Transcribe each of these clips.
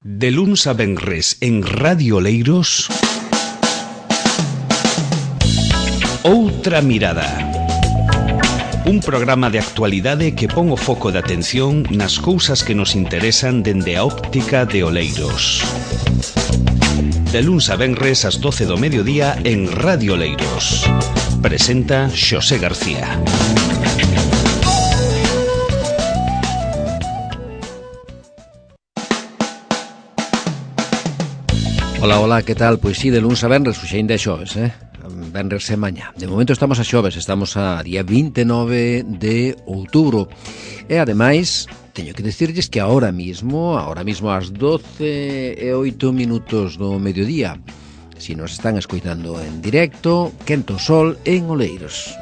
De luns a venres en Radio Oleiros, Outra Mirada. Un programa de actualidade que pon o foco de atención nas cousas que nos interesan dende a óptica de Oleiros. De luns a venres ás 12 do mediodía en Radio Oleiros. Presenta Xosé García. Ola, que tal? Pois si, de luns a venres, xuxa ainda é xoves, venres e mañá. De momento estamos a xoves, estamos a día 29 de outubro. E, ademais, teño que dicirlles que ahora mismo ás 12 e 8 minutos do mediodía, si nos están escoitando en directo, quento sol en Oleiros.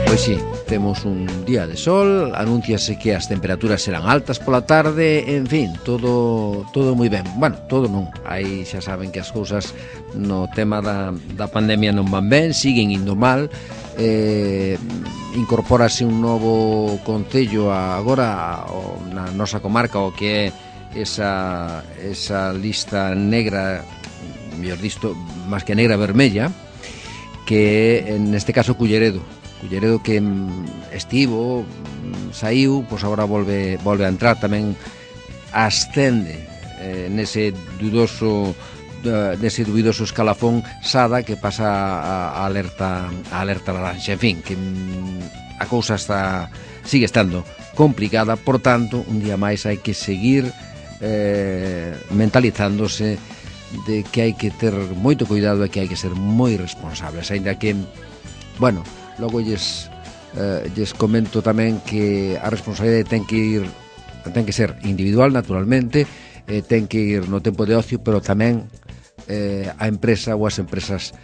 Pois si, temos un día de sol, anúnciase que as temperaturas serán altas pola tarde, en fin, todo moi ben. Bueno, todo non, aí xa saben que as cousas no tema da pandemia non van ben, siguen indo mal. Incorpórase un novo concello agora na nosa comarca, o que é esa lista negra, mellor disto, máis que negra, vermella, que é, neste caso, Culleredo que estivo, saiu, pois agora volve a entrar, tamén ascende nese dubidoso escalafón Sada, que pasa a alerta laranxa. En fin, que a cousa sigue estando complicada, por tanto, un día máis hai que seguir mentalizándose de que hai que ter moito cuidado e que hai que ser moi responsables, aínda que, bueno, logo lles comento tamén que a responsabilidade ten que ser individual, naturalmente, ten que ir no tempo de ocio, pero tamén a empresa ou as empresas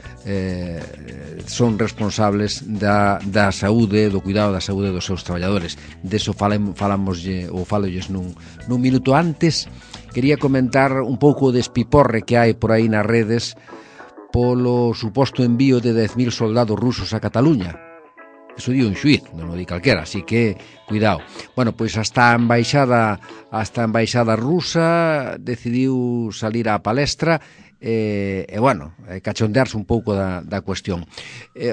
son responsables da saúde, do cuidado da saúde dos seus traballadores. Deso falolles nun minuto. Antes quería comentar un pouco de espiporre que hai por aí nas redes polo suposto envío de 10.000 soldados rusos a Cataluña. Eso di un xuíz, non o di calquera, así que cuidado. Bueno, pois hasta a embaixada rusa decidiu salir á palestra e cachondearse un pouco da cuestión.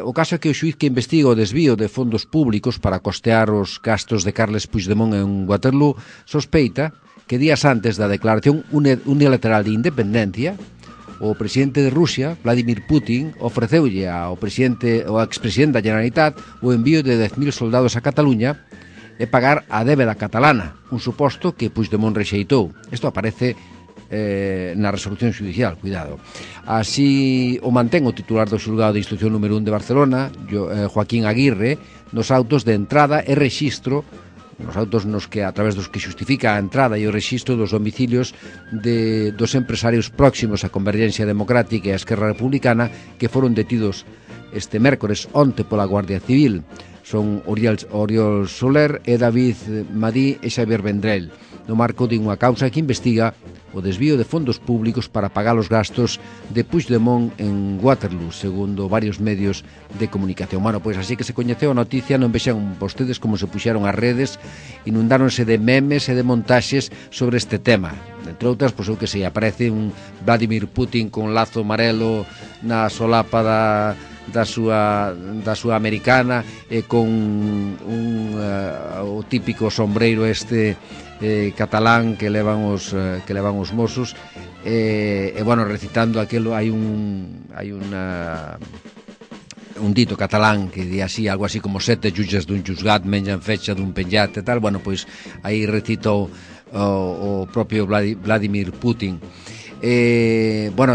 O caso é que o xuíz que investiga o desvío de fondos públicos para costear os gastos de Carles Puigdemont en Waterloo sospeita que días antes da declaración unilateral de independencia, o presidente de Rusia, Vladimir Putin, ofreceulle ao expresidente da Generalitat o envío de 10.000 soldados a Cataluña e pagar a débeda catalana, un suposto que Puigdemont rexeitou. Isto aparece na resolución judicial, cuidado. Así o mantén o titular do xulgado de instrucción número 1 de Barcelona, Joaquín Aguirre, nos autos de entrada e rexistro, nos autos a través dos que xustifica a entrada e o rexistro dos domicilios dos empresarios próximos á Convergencia Democrática e a Esquerra Republicana que foron detidos este mércores onte pola Guardia Civil. Son Oriol Soler e David Madí e Xavier Vendrell, no marco de unha causa que investiga o desvío de fondos públicos para pagar os gastos de Puigdemont en Waterloo, segundo varios medios de comunicación. Bueno, pois así que se coñeceu a noticia, non vexan vostedes como se puxeron as redes, inundáronse de memes e de montaxes sobre este tema. Entre outras, pois eu que sei, aparece un Vladimir Putin con lazo amarelo na solapa da súa americana e con o típico sombreiro catalán que levan os mozos recitando aquilo. Hai un dito catalán que di así, algo así como 7 xulles dun xuzgat menjan fecha dun penjat e tal. Bueno, pois aí recito o propio Vladimir Putin.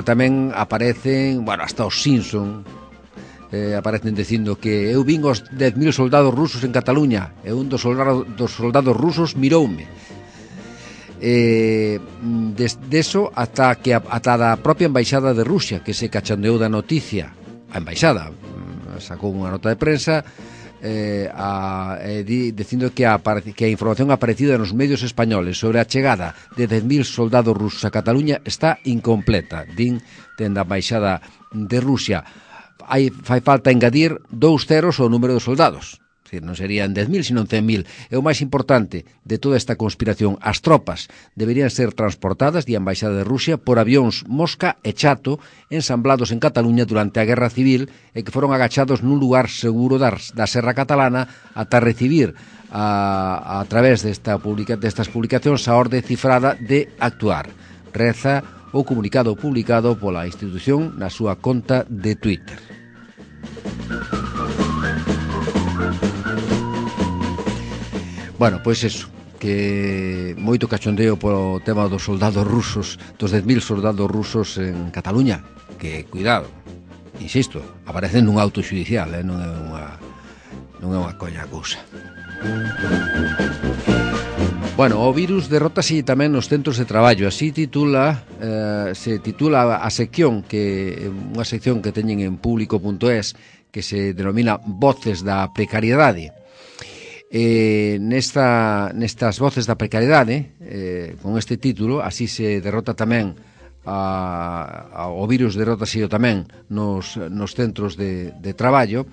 Tamén aparecen, hasta os Simpson aparecen dicindo que eu vin os 10.000 soldados rusos en Cataluña e un dos soldados rusos miroume. Deso ata da propia embaixada de Rusia, que se cachondeou da noticia. A embaixada sacou unha nota de prensa dicindo que a información aparecida nos medios españoles sobre a chegada de 10.000 soldados rusos a Cataluña está incompleta, dende a embaixada de Rusia. Fai falta engadir 2 ceros ao número de soldados. decir, non serían 10.000, sino 100.000. E o máis importante de toda esta conspiración, as tropas deberían ser transportadas de Embaixada de Rusia por avións Mosca e Chato ensamblados en Cataluña durante a Guerra Civil e que foron agachados nun lugar seguro da Serra Catalana ata recibir a través destas publicacións a orde cifrada de actuar. Reza o comunicado publicado pola institución na súa conta de Twitter. Bueno, pois eso, que moito cachondeo polo tema dos soldados rusos, dos 10.000 soldados rusos en Cataluña, que, cuidado, insisto, aparecen nun auto xudicial, non é unha coña cousa. Bueno, o virus derrótase tamén nos centros de traballo. Así se titula a sección, que unha sección que teñen en público.es, que se denomina Voces da Precariedade. Nestas voces da precariedade, con este título, así se derrota tamén o virus, derrótase tamén nos centros de traballo.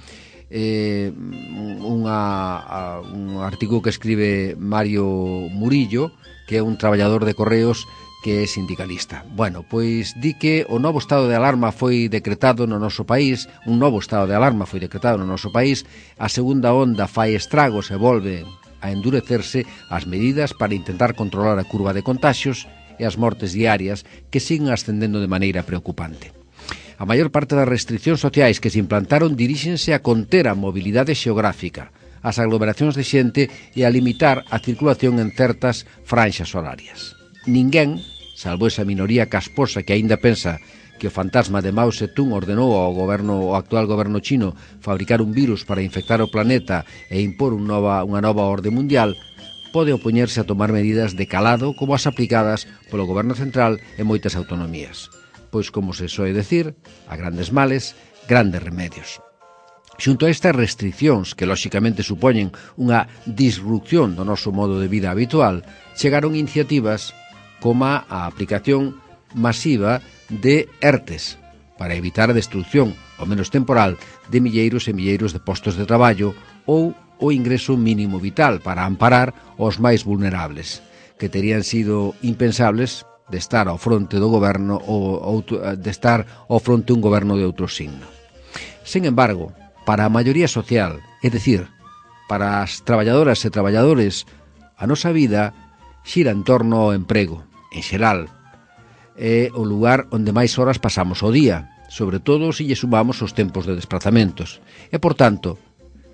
Un artigo que escribe Mario Murillo, que é un traballador de Correos que é sindicalista. Bueno, pois di que o novo estado de alarma foi decretado no noso país, a segunda onda fai estragos e volve a endurecerse as medidas para intentar controlar a curva de contaxios e as mortes diarias que siguen ascendendo de maneira preocupante. A maior parte das restriccións sociais que se implantaron diríxense a conter a mobilidade xeográfica, as aglomeracións de xente e a limitar a circulación en certas franxas horarias. Ninguén, salvo esa minoría casposa que aínda pensa que o fantasma de Mao Zedong ordenou ao actual goberno chino fabricar un virus para infectar o planeta e impor unha nova orde mundial, pode opoñerse a tomar medidas de calado como as aplicadas polo goberno central e moitas autonomías. Pois, como se soe decir, a grandes males, grandes remedios. Xunto a estas restriccións, que lóxicamente supoñen unha disrupción do noso modo de vida habitual, chegaron iniciativas como a aplicación masiva de ERTES para evitar a destrucción, ao menos temporal, de milleiros e milleiros de postos de traballo ou o ingreso mínimo vital para amparar os máis vulnerables, que terían sido impensables de estar ao fronte do goberno ou de estar ao fronte un goberno de outro signo. Sen embargo, para a maioría social, é dicir, para as traballadoras e traballadores, a nosa vida xira en torno ao emprego, en xeral. É o lugar onde máis horas pasamos ao día, sobre todo se lle sumamos os tempos de desplazamentos. E, por tanto,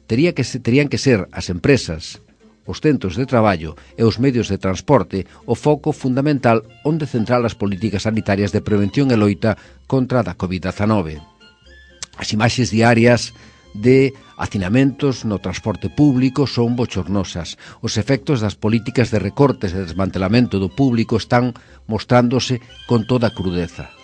terían que ser as empresas, os centros de traballo e os medios de transporte o foco fundamental onde centrar as políticas sanitarias de prevención e loita contra a COVID-19. As imaxes diarias de hacinamentos no transporte público son bochornosas. Os efectos das políticas de recortes e desmantelamento do público están mostrándose con toda a crudeza.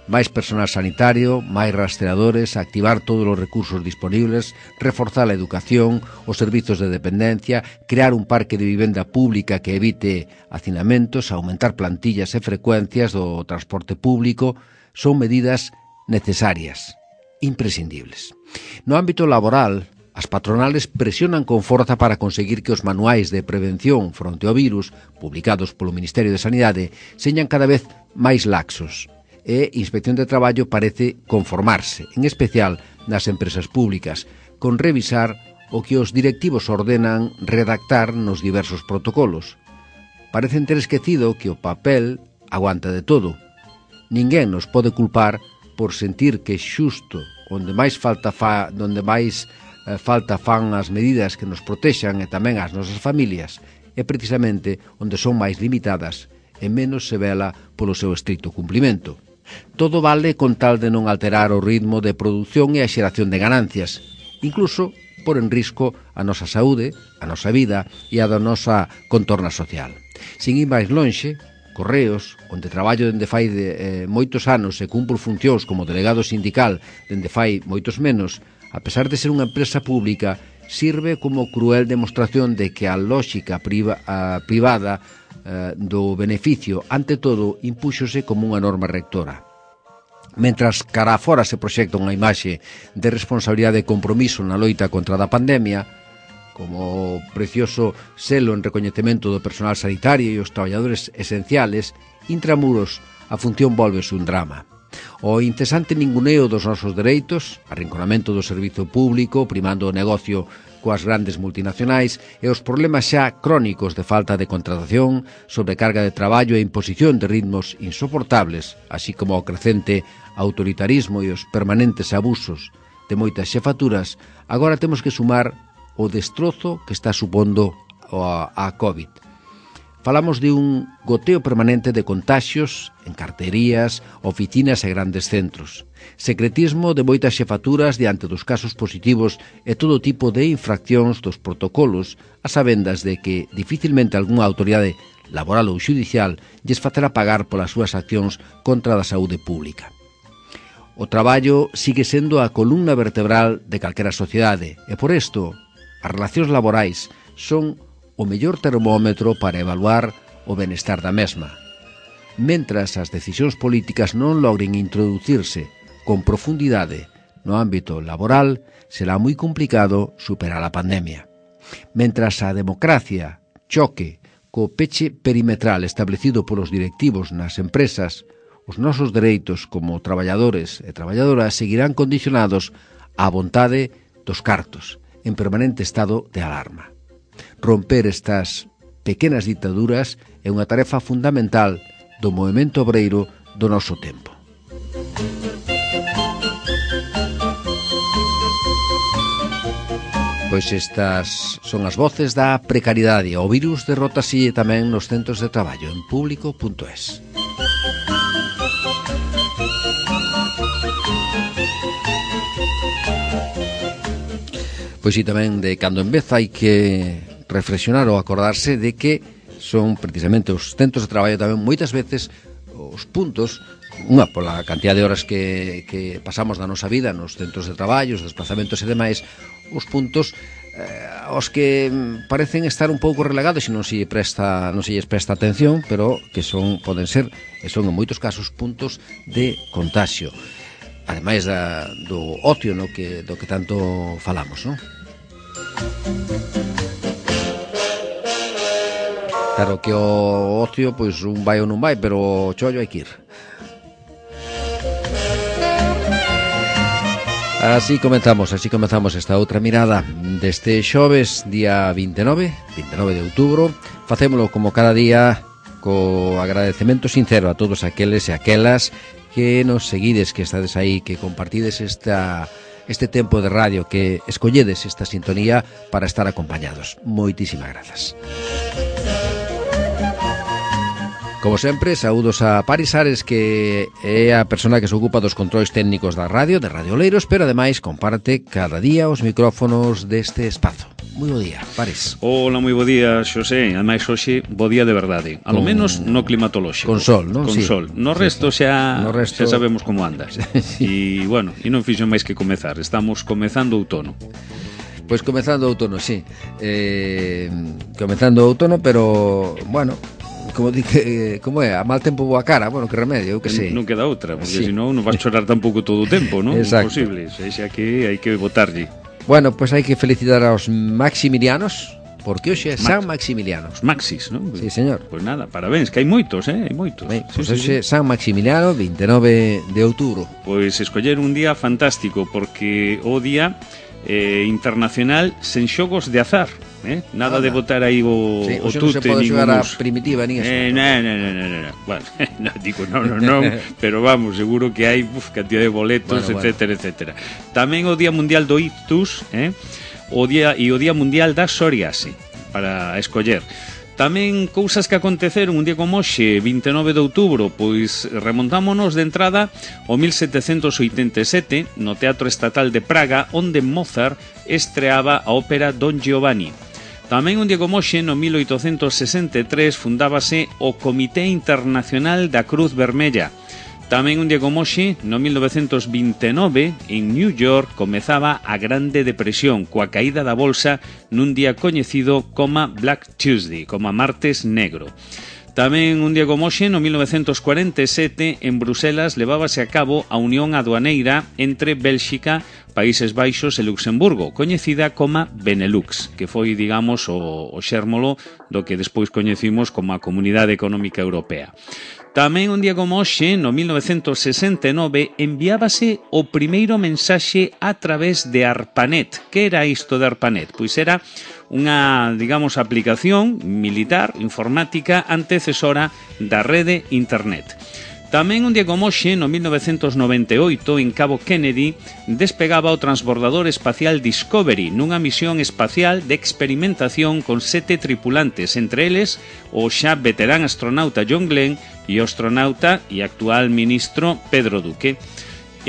Máis personal sanitario, máis rastreadores, activar todos os recursos disponibles, reforzar a educación, os servizos de dependencia, crear un parque de vivenda pública que evite hacinamentos, aumentar plantillas e frecuencias do transporte público, son medidas necesarias, imprescindibles. No ámbito laboral, as patronales presionan con forza para conseguir que os manuais de prevención fronte ao virus, publicados polo Ministerio de Sanidade, señan cada vez máis laxos. E Inspección de Traballo parece conformarse, en especial nas empresas públicas, con revisar o que os directivos ordenan redactar nos diversos protocolos. Parecen ter esquecido que o papel aguanta de todo. Ninguén nos pode culpar por sentir que xusto onde máis falta fan as medidas que nos protexan e tamén as nosas familias, é precisamente onde son máis limitadas e menos se vela polo seu estricto cumprimento. Todo vale con tal de non alterar o ritmo de produción e a xeración de ganancias, incluso por en risco a nosa saúde, a nosa vida e a da nosa contorna social. Sin ir máis lonxe, Correos, onde traballo dende fai moitos anos e cumpro funcións como delegado sindical dende fai moitos menos, a pesar de ser unha empresa pública, sirve como cruel demostración de que a lóxica privada do beneficio, ante todo, impúxose como unha norma rectora. Mentras cara a fora se proxecta unha imaxe de responsabilidade e compromiso na loita contra a pandemia, como o precioso selo en recoñecemento do personal sanitario e os traballadores esenciales, intramuros a función volvese un drama. O incesante ninguneo dos nosos dereitos, arrinconamento do servizo público, primando o negocio coas grandes multinacionais e os problemas xa crónicos de falta de contratación, sobrecarga de traballo e imposición de ritmos insoportables, así como o crecente autoritarismo e os permanentes abusos de moitas xefaturas, agora temos que sumar o destrozo que está supondo a COVID. Falamos de un goteo permanente de contaxios en carterías, oficinas e grandes centros. Secretismo de moitas xefaturas diante dos casos positivos e todo tipo de infraccións dos protocolos, a sabendas de que dificilmente algunha autoridade laboral ou xudicial lles facerá pagar polas súas accións contra a saúde pública. O traballo sigue sendo a columna vertebral de calquera sociedade e por isto as relacións laborais son o mellor termómetro para evaluar o benestar da mesma. Mentras as decisións políticas non logren introducirse con profundidade no ámbito laboral, será moi complicado superar a pandemia. Mentras a democracia choque co peche perimetral establecido polos directivos nas empresas, os nosos dereitos como traballadores e traballadoras seguirán condicionados á vontade dos cartos, en permanente estado de alarma. Romper estas pequenas ditaduras é unha tarefa fundamental do movemento obreiro do noso tempo. Pois estas son as voces da precariedade. O virus derrótase tamén nos centros de traballo en público.es. Pois si tamén de cando en vez hai que reflexionar ou acordarse de que son precisamente os centros de traballo tamén moitas veces os puntos, unha pola cantidad de horas que pasamos da nosa vida nos centros de traballo, os desplazamentos e demais, os puntos aos que parecen estar un pouco relegados e non se lles presta atención, pero que poden ser, e son en moitos casos, puntos de contagio, ademais do ocio do que tanto falamos, non? Claro que o ocio, pois un vai ou non vai, pero o chollo hai que ir. Así comenzamos esta outra mirada deste xoves, día 29 de outubro. Facémolo como cada día co agradecemento sincero a todos aqueles e aquelas que nos seguides, que estades aí, que compartides este tempo de radio, que escolledes esta sintonía para estar acompañados. Moitísimas grazas. Como sempre, saúdos a Paris Ares, que é a persona que se ocupa dos controis técnicos da radio, de Radio Oleiros, pero ademais comparte cada día os micrófonos deste espazo. Moi bo día, Paris. Hola, moi bo día, Xosé. Ademais, hoxe, bo día de verdade. A lo menos no climatolóxico. Con sol, non? Con sí. sol. No resto xa sabemos como anda. E, bueno, e non fixo máis que comezar. Estamos comezando outono. Pois comezando outono, sí. Comezando outono, pero, bueno, como é, a mal tempo boa cara, bueno, que remedio, eu que sei. Non queda outra, porque senón non vas chorar tampouco todo o tempo, non? Imposible, xa que hai que botarlle. Bueno, pois hai que felicitar aos maximilianos, porque hoxe é San Maximiliano. Os Maxis, non? Sí, señor. Pois nada, parabéns, que hai moitos, hai moitos. Pois hoxe San Maximiliano, 29 de outubro. Pois escoller un día fantástico, porque o día internacional sen xogos de azar. Nada de botar aí o tute. Non se pode xogar a primitiva nin eso. Non. Bueno, digo non, pero vamos, seguro que hai cantidad de boletos, etcétera. Tamén o Día Mundial do Ictus, o Día Mundial da Psoriase, para escoller. Tamén cousas que aconteceron un día como hoxe, 29 de outubro, pois remontámonos de entrada ao 1787 no Teatro Estatal de Praga, onde Mozart estreaba a ópera Don Giovanni. Tamén un día como hoxe, no 1863, fundábase o Comité Internacional da Cruz Vermella. Tamén un día como hoxe, no 1929, en New York, comezaba a Grande Depresión, coa caída da bolsa nun día coñecido como Black Tuesday, como Martes Negro. Tamén un día como hoxe, no 1947, en Bruselas levábase a cabo a unión aduaneira entre Bélxica, Países Baixos e Luxemburgo, coñecida como Benelux, que foi, digamos, o xérmolo do que despois coñecimos como a Comunidade Económica Europea. Tamén un día como hoxe, no 1969, enviábase o primeiro mensaxe a través de ARPANET. Que era isto de ARPANET? Pois era unha, digamos, aplicación militar, informática, antecesora da rede Internet. Tamén un día como hoxe, no 1998, en Cabo Kennedy, despegaba o transbordador espacial Discovery nunha misión espacial de experimentación con 7 tripulantes, entre eles o xa veterán astronauta John Glenn e o astronauta e actual ministro Pedro Duque.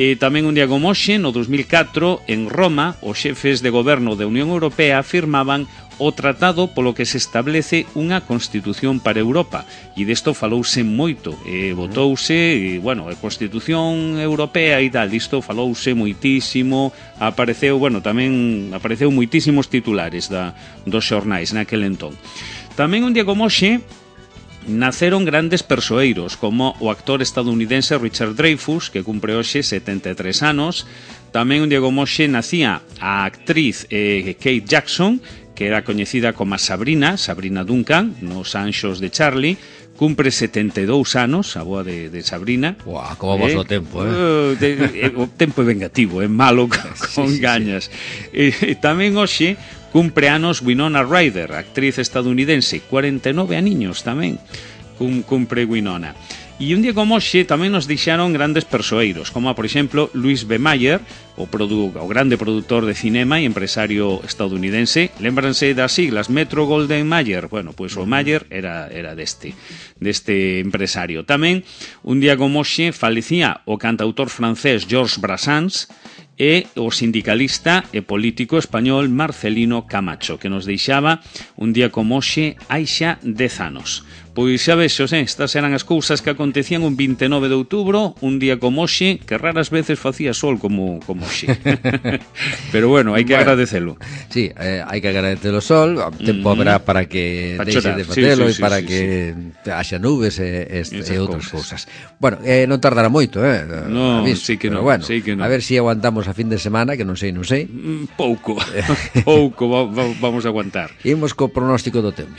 E tamén un día como hoxe, no 2004, en Roma, os xefes de goberno da Unión Europea firmaban o tratado polo que se establece unha Constitución para Europa, e desto falouse moito, votouse, a Constitución Europea e tal, disto falouse moitísimo, apareceu moitísimos titulares dos xornais naquel entón. Tamén un día como hoxe naceron grandes persoeiros, como o actor estadounidense Richard Dreyfuss, que cumpre hoxe 73 anos. Tamén un día como hoxe nacía a actriz Kate Jackson, que era coñecida como Sabrina Duncan, nos Anxos de Charlie. Cumpre 72 anos, a boa de Sabrina. Uau, como vos o tempo, O tempo é vengativo, é malo con gañas. Tamén hoxe cumpre anos Winona Ryder, actriz estadounidense, 49 aniños tamén cumpre Winona. E un día como hoxe tamén nos deixaron grandes persoeiros, como por exemplo Louis B. Mayer, o grande produtor de cinema e empresario estadounidense. Lémbranse das siglas Metro-Goldwyn-Mayer. Bueno, pois o Mayer era deste empresario. Tamén un día como hoxe falecía o cantautor francés Georges Brassens e o sindicalista e político español Marcelino Camacho, que nos deixaba un día como hoxe hai xa 10 anos. Pois xa vexos, estas eran as cousas que acontecían un 29 de outubro, un día como hoxe, que raras veces facía sol como hoxe. Pero bueno, hai que agradecelo. Sí, hai que agradecelo o sol, o tempo habrá para que deixe de facelo e para que haxa nubes e outras cousas. Bueno, non tardará moito, No, sí que non. Bueno, a ver se aguantamos a fin de semana, que non sei. Pouco vamos a aguantar. Imos co pronóstico do tempo.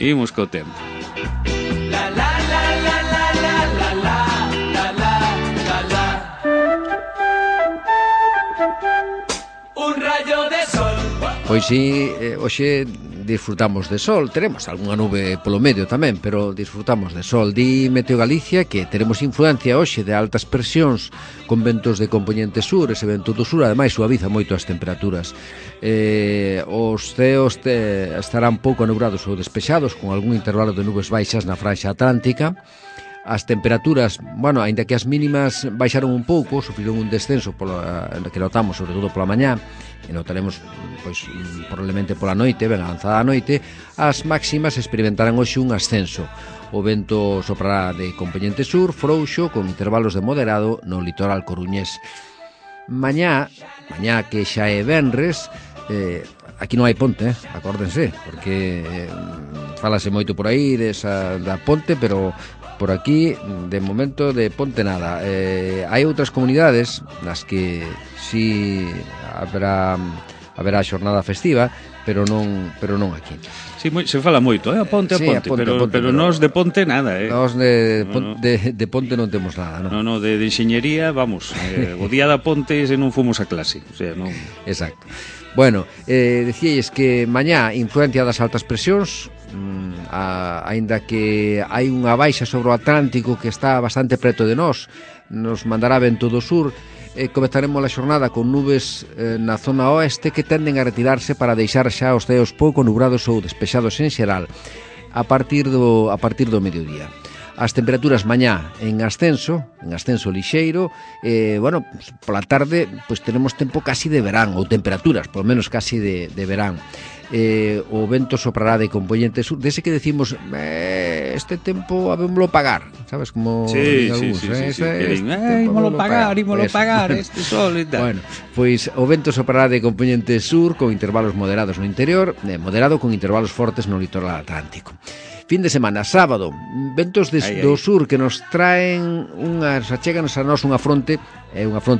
Pois si, hoxe disfrutamos de sol, teremos algunha nube polo medio tamén, pero disfrutamos de sol. Di Meteo Galicia que teremos influencia hoxe de altas presións con ventos de compoñente sur, ese vento do sur ademais suaviza moito as temperaturas. Os ceos estarán pouco anubrados ou despexados, con algún intervalo de nubes baixas na franxa atlántica. As temperaturas, aínda que as mínimas baixaron un pouco, sufriron un descenso que notamos sobre todo pola mañá, e notaremos probablemente pola noite, ben avanzada a noite. As máximas experimentarán hoxe un ascenso. O vento soprará de compoñente sur, frouxo, con intervalos de moderado no litoral coruñés. Mañá que xa é venres, aquí non hai ponte, acórdense, porque falase moito por aí da ponte, pero por aquí, de momento, de ponte nada. Hai outras comunidades nas que si haberá xornada festiva, pero non aquí. Sí, se fala moito, a ponte, pero nós de ponte nada, Nós de ponte non temos nada, non? No, de enxeñería, vamos, o día da ponte se non fomos a clase, o sea, non... Exacto. Bueno, decíais que mañá influencia das altas presións, aínda que hai unha baixa sobre o Atlántico que está bastante preto de nós, nos mandará vento do sur. Comezaremos a xornada con nubes na zona oeste que tenden a retirarse para deixar xa os ceos pouco nubrados ou despexados en xeral a partir do mediodía. As temperaturas mañá en ascenso lixeiro, pola tarde tenemos tempo casi de verán, ou temperaturas, polo menos casi de verán. O vento soprará de compoñente sur, dese que decimos este tempo habémolo pagar, sabes, como ímolo pagar este sol e tal. Bueno, pois o vento soprará de compoñente sur con intervalos moderados no interior, moderado con intervalos fortes no litoral atlántico. Fin de semana, sábado, ventos do sur que nos traen acheganos a nós unha fronte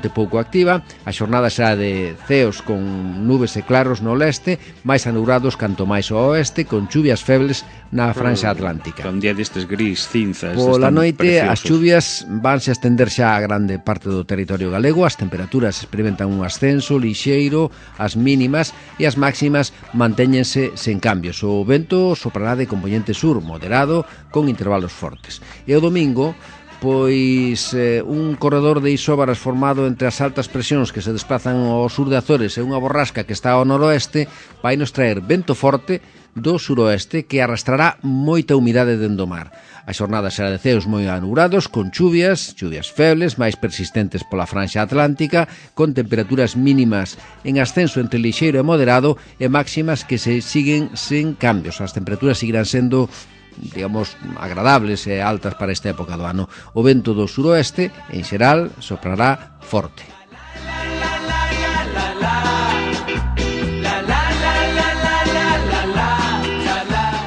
pouco activa. A xornada será de ceos con nubes e claros no leste, máis anubrados canto máis ao oeste, con chuvias febles na franxa atlántica. Un día destes gris, cinzas. Pola noite as chuvias vanse a estender xa a grande parte do territorio galego. As temperaturas experimentan un ascenso lixeiro, as mínimas e as máximas mantéñense sen cambios. O vento soprará de componente sur moderado con intervalos fortes. E o domingo, pois un corredor de isóbaras formado entre as altas presións que se desplazan ao sur de Azores e unha borrasca que está ao noroeste vai nos traer vento forte do suroeste que arrastrará moita humidade dende o mar. A xornada será de ceos moi anubrados, con chuvias febles, máis persistentes pola franxa atlántica, con temperaturas mínimas en ascenso entre lixeiro e moderado e máximas que se siguen sen cambios. As temperaturas seguirán sendo, digamos, agradables e altas para esta época do ano. O vento do suroeste, en xeral, soprará forte.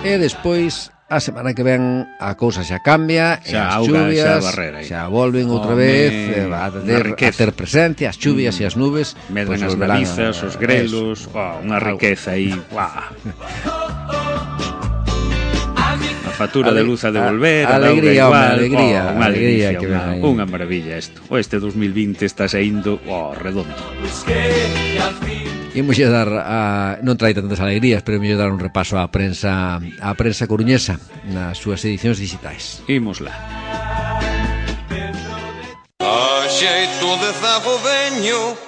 E despois, a semana que ven, a cousa xa cambia, e as chuvias xa volven outra vez a ter presencia, as chuvias e as nubes medran as navizas, os grelos, unha riqueza aí. Factura de luz a devolver, alegría, unha alegría que ven aí. Unha maravilla isto. Este 2020 está saindo redondo. Imos dar non trae tantas alegrías, pero imos dar un repaso á prensa coruñesa nas súas edicións digitais. Imos lá. A xeito de zago veño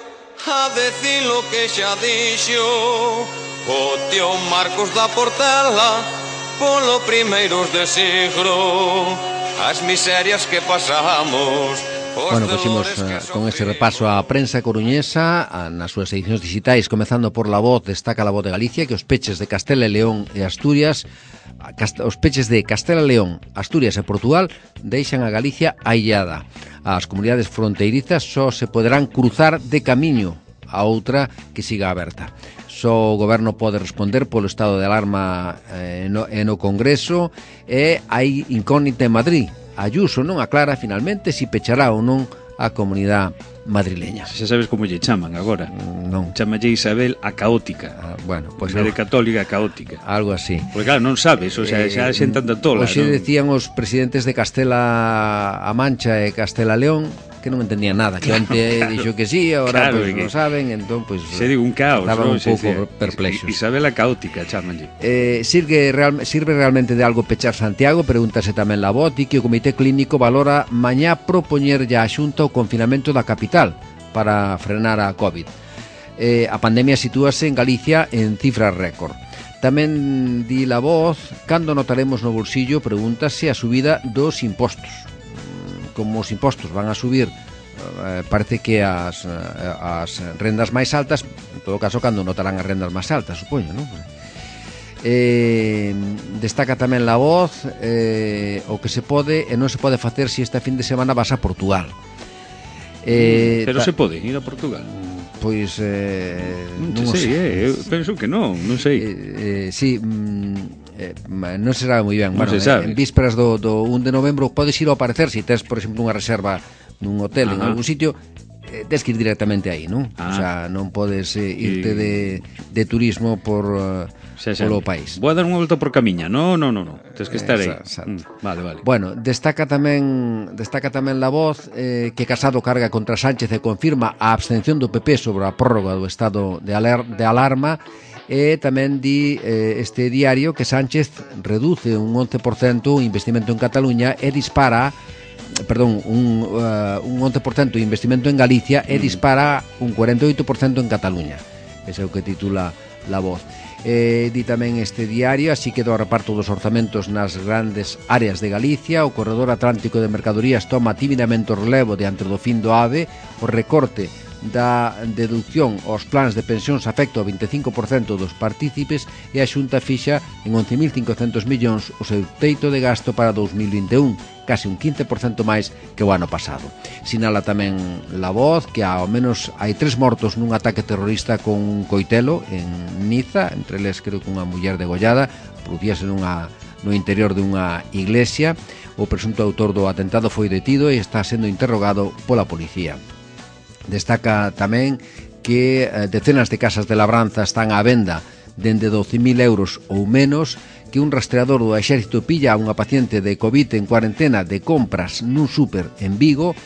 a decir lo que xa dixo o tío Marcos da Portela polo primeiros de siglo, as miserias que pasamos. Bueno, puximos con ese repaso a prensa coruñesa nas súas edicións digitais, comezando por La Voz. Destaca La Voz de Galicia que os peches de Castela e León e Asturias, os peches de Castela e León, Asturias e Portugal deixan a Galicia aillada. As comunidades fronteirizas só se poderán cruzar de camiño a outra que siga aberta. Só o goberno pode responder polo estado de alarma no Congreso e hai incógnita en Madrid. Ayuso non aclara finalmente si pechará ou non a comunidade madrileña. Xa sabes como lle chaman agora. Non. Chamalle Isabel a caótica. Bueno, pois de católica caótica. Algo así. Porque claro, non sabes, o sea, xa xentan da tola. Hoxe decían os presidentes de Castela-A Mancha e Castela-León que non entendían nada, que antes dixo que sí, agora pois non saben, entón pois se digo un caos, estaban un pouco perplexos. Isabela caótica, chámanlle. Sirve realmente de algo pechar Santiago? Pregúntase tamén La Voz, e que o Comité Clínico valora mañá propoñerlle á Xunta o confinamento da capital para frenar a COVID. A pandemia sitúase en Galicia en cifras récord. Tamén di La Voz, cando notaremos no bolsillo, pregúntase a subida dos impostos. Como os impostos van a subir, parece que as rendas máis altas, en todo caso, cando notarán as rendas máis altas, supoño, non? Destaca tamén La Voz o que se pode e non se pode facer se este fin de semana vas a Portugal. Pero se pode ir a Portugal? Pois non sei, penso que non sei. Sí, non se sabe moi ben. Non se sabe. En vísperas do 1 de novembro podes ir ao parecer, se tes, por exemplo, unha reserva nun hotel en algún sitio, tes que ir directamente aí, non? O sea, non podes irte de turismo polo país. Vou a dar unha volta por Camiña. Non. Tens que estar aí. Vale. Bueno, destaca tamén La Voz que Casado carga contra Sánchez e confirma a abstención do PP sobre a prórroga do estado de alarma. E tamén di este diario que Sánchez reduce un 11% o investimento en Cataluña e dispara, un 11% de investimento en Galicia e dispara un 48% en Cataluña. Ese é o que titula La Voz. Di tamén este diario, así quedou o reparto dos orzamentos nas grandes áreas de Galicia. O corredor atlántico de mercadorías toma tímidamente o relevo diante do fin do AVE. O recorte da deducción aos plans de pensións afecta ao 25% dos partícipes e a Xunta fixa en 11.500 millóns o seu teito de gasto para 2021, case un 15% máis que o ano pasado. Sinala tamén La Voz que ao menos hai 3 mortos nun ataque terrorista con un coitelo en Niza, entre eles creo que unha muller degollada, producíase nunha no interior dunha iglesia. O presunto autor do atentado foi detido e está sendo interrogado pola policía. Destaca tamén que decenas de casas de labranza están á venda dende 12.000 euros ou menos, que un rastreador do exército pilla a unha paciente de COVID en cuarentena de compras nun súper en Vigo.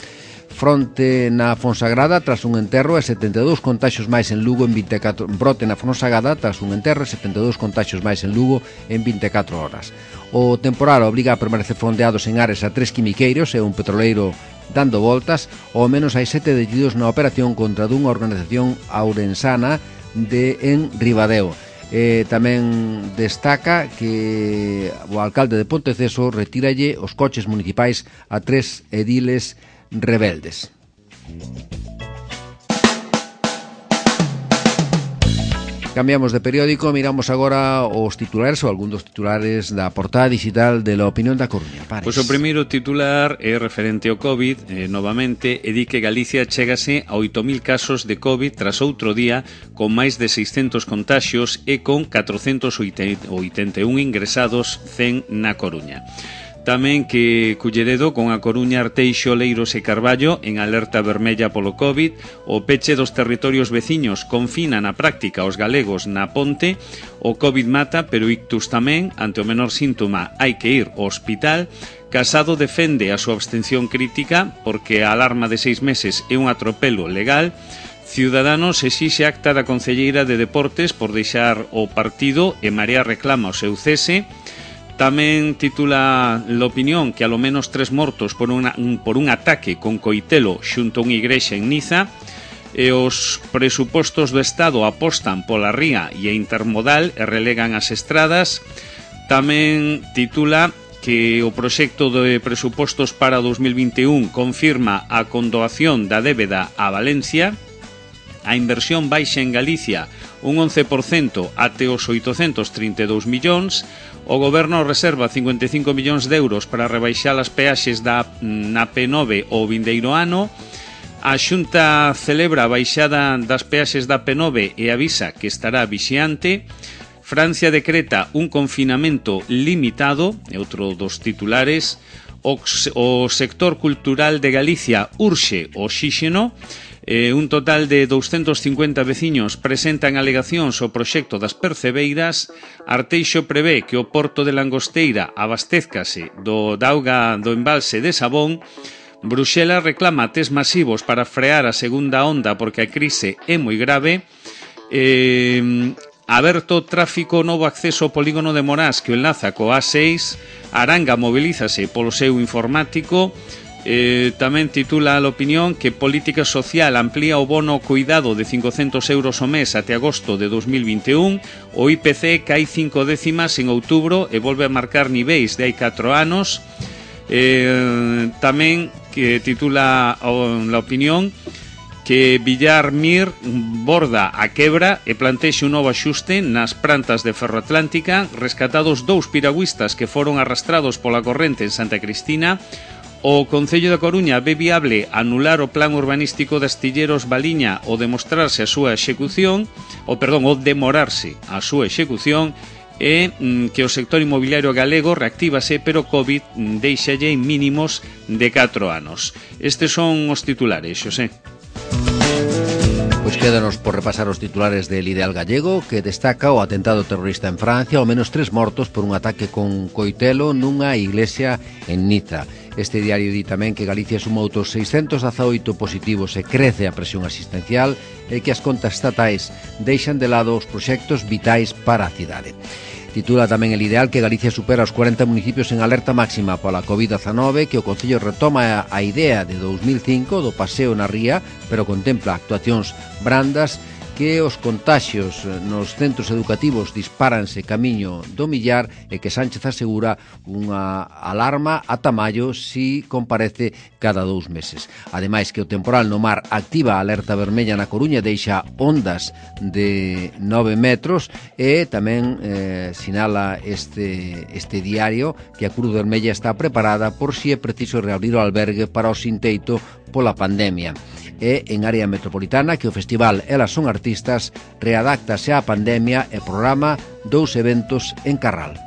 Fronte na Fonsagrada tras un enterro e 72 contaxios máis en Lugo en 24 brote na Fonsagrada tras un enterro e 72 contaxios máis en Lugo en 24 horas. O temporal obriga a permanecer fondeados en Ares a 3 quimiqueiros e un petroleiro dando voltas. Ao menos hai 7 detidos na operación contra dunha organización ourensana en Ribadeo. Tamén destaca que o alcalde de Ponteceso retíralle os coches municipais a 3 ediles rebeldes. Cambiamos de periódico, miramos agora os titulares ou algún dos titulares da portada digital de La Opinión da Coruña. Pares. Pois o primeiro titular é referente ao COVID, novamente, e di que Galicia chégase a 8.000 casos de COVID tras outro día con máis de 600 contaxios e con 481 ingresados 100 na Coruña. Tamén que Culleredo con a Coruña, Arteixo, Leiros e Carballo en alerta vermella polo COVID. O peche dos territorios veciños confina na práctica os galegos na ponte. O COVID mata, pero ictus tamén. Ante o menor síntoma hai que ir ao hospital. Casado defende a súa abstención crítica porque a alarma de 6 meses é un atropelo legal. Ciudadanos exixe acta da concelleira de Deportes por deixar o partido e Marea reclama o seu cese. Tamén titula La Opinión que alo menos 3 mortos por un ataque con coitelo xunto a unha igrexa en Niza. E os presupostos do Estado apostan pola ría e a intermodal e relegan as estradas. Tamén titula que o proxecto de presupostos para 2021 confirma a condoación da débeda a Valencia. A inversión baixa en Galicia un 11% até os 832 millóns. O Goberno reserva 55 millóns de euros para rebaixar as peaxes na P9 o vindeiro ano. A Xunta celebra a baixada das peaxes da P9 e avisa que estará vixiante. Francia decreta un confinamento limitado, é outro dos titulares. O sector cultural de Galicia urxe oxíxeno. Un total de 250 veciños presentan alegacións ao proxecto das percebeiras. Arteixo prevé que o porto de Langosteira abastezcase da auga do embalse de Sabón. Bruxelas reclama test masivos para frear a segunda onda porque a crise é moi grave. Aberto tráfico novo acceso ao polígono de Morás que o enlaza co A6. Aranga mobilízase polo seu informático. Tamén titula La Opinión que Política Social amplía o bono cuidado de 500 euros ao mes até agosto de 2021. O IPC cai 5 décimas en outubro e volve a marcar niveis de hai 4 anos. Tamén que titula La Opinión que Villar Mir borda a quebra e plantexe un novo axuste nas prantas de Ferroatlántica. Rescatados 2 piragüistas que foron arrastrados pola corrente en Santa Cristina. O Concello da Coruña ve viable anular o plan urbanístico de Astilleros Baliña o demorarse a súa execución e que o sector inmobiliario galego reactívase, pero COVID deixalle en mínimos de 4 anos. Estes son os titulares, Xosé. Pois quédanos por repasar os titulares del Ideal Gallego, que destaca o atentado terrorista en Francia, ao menos 3 mortos por un ataque con coitelo nunha iglesia en Niza. Este diario di tamén que Galicia suma outros 618 positivos e crece a presión asistencial e que as contas estatais deixan de lado os proxectos vitais para a cidade. Titula tamén El Ideal que Galicia supera os 40 municipios en alerta máxima pola COVID-19, que o Concello retoma a idea de 2005 do paseo na ría, pero contempla actuacións brandas, que os contaxios nos centros educativos dispáranse camiño do millar e que Sánchez asegura unha alarma ata maio si comparece cada 2 meses. Ademais que o temporal no mar activa a alerta vermella na Coruña, deixa ondas de 9 metros e tamén sinala este diario que a Cruz Vermella está preparada por si é preciso reabrir o albergue para o Sinteito pola pandemia. E en área metropolitana que o festival Elas son artistas readáctase á pandemia e programa 2 eventos en Carral.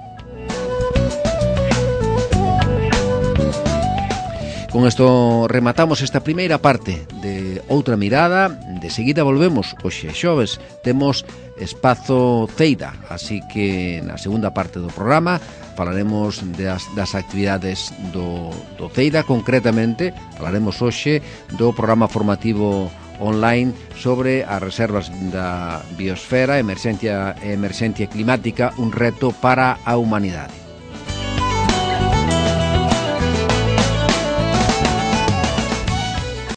Con isto rematamos esta primeira parte de Outra Mirada. De seguida volvemos. Hoxe xoves temos Espazo Ceida, así que na segunda parte do programa falaremos das actividades do Ceida. Concretamente falaremos hoxe do programa formativo online sobre as reservas da biosfera, emerxencia climática, un reto para a humanidade.